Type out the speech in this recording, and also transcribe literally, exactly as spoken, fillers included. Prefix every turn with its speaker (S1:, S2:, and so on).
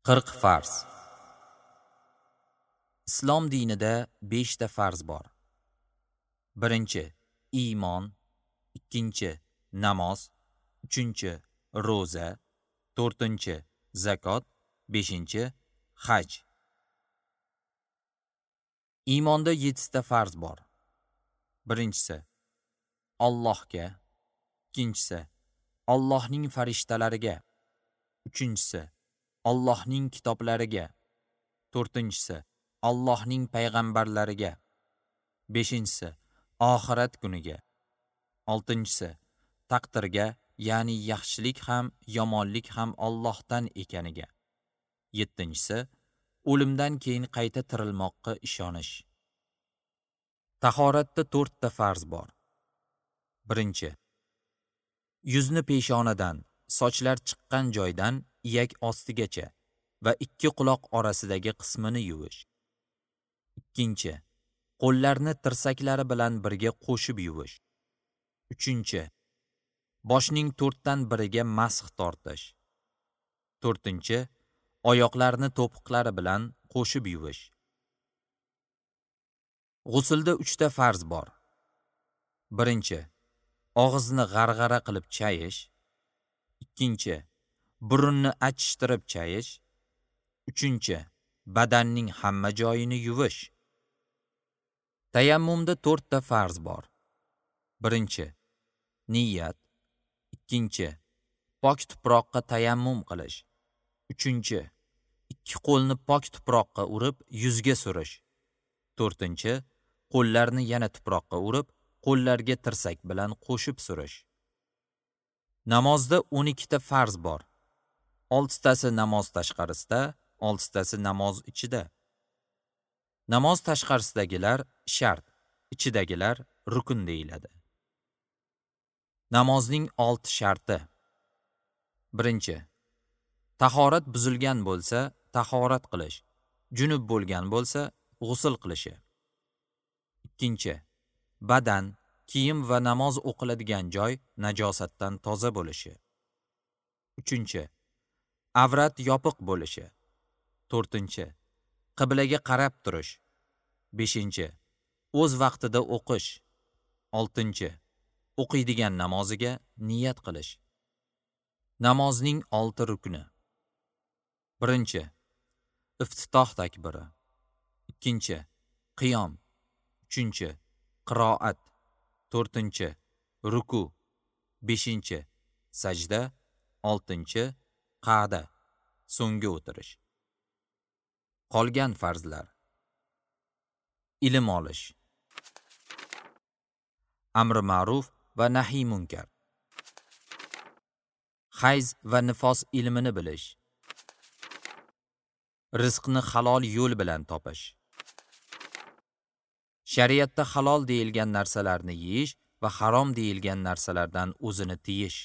S1: Qirq farz. Islom dinida beshta farz bor. Birinchi, iymon, ikkinchi, namoz, uchinchi, ro'za, to'rtinchi, zakot, beshinchi, haj. Iymonda yettita farz bor. Birinchisi, Allohga, ikkinchisi, Allohning farishtalariga, uchinchisi, Allohning kitoblariga, to'rtinchisi, Allohning payg'ambarlariga, beshinchisi, oxirat kuniga, oltinchisi, taqdirga, ya'ni yaxshilik ham, yomonlik ham Allohdan ekaniga, yettinchisi, o'limdan keyin qayta tirilmoqqa ishonish. Tahoratda to'rtta farz bor. Birinchi, yuzni peshonadan, sochlar chiqqan joydan iyak ostigacha va ikki quloq orasidagi qismini yuvish. Ikkinchi, qo'llarni tirsaklari bilan birga qo'shib yuvish. Uchinchi, boshning to'rtdan biriga masx tortish. To'rtinchi, oyoqlarni to'piqlari bilan qo'shib yuvish. G'usulda uchta farz bor. Birinchi, og'izni g'arg'ara qilib chayish. Ikkinchi, burunni achishtirib chayish. Uchinchi, badanning hamma joyini yuvish. Tayammumda to'rtta farz bor. Birinchi, niyat. Ikkinchi, pok tuproqqa tayammum qilish. Uchinchi, ikki qo'lni pok tuproqqa urib yuzga surish. To'rtinchi, qo'llarni yana tuproqqa urib, qo'llarga tirsak bilan qo'shib surish. Namozda o'n ikkita farz bor. Oltitasi namoz tashqarisida, oltitasi namoz ichida. Namoz tashqarisidagilar shart, ichidagilar rukn deyiladi. Namozning olti sharti. Birinchi, tahorat buzilgan bo'lsa, tahorat qilish, junub bo'lgan bo'lsa, g'usl qilishi. Ikkinchi, badan, kiyim va namoz o'qiladigan joy najosatdan toza bo'lishi. Uchinchi, avrat yopiq bo'lishi. To'rtinchi, qiblaga qarab turish. Beshinchi, o'z vaqtida o'qish. Oltinchi, o'qiydigan namoziga niyat qilish. Namozning olti rukni. Birinchi, iftitoh takbiri. Ikkinchi, qiyom. Uchinchi, qiroat. To'rtinchi, ruku. Beshinchi, sajda. Oltinchi, qa'da, so'nggi o'tirish. Qolgan farzlar. Ilm olish. Amri ma'ruf va nahiy munkar. Hayz va nifos ilmini bilish. Rizqni halol yo'l bilan topish. Shariatda halol deyilgan narsalarni yeyish va harom deyilgan narsalardan o'zini tiyish.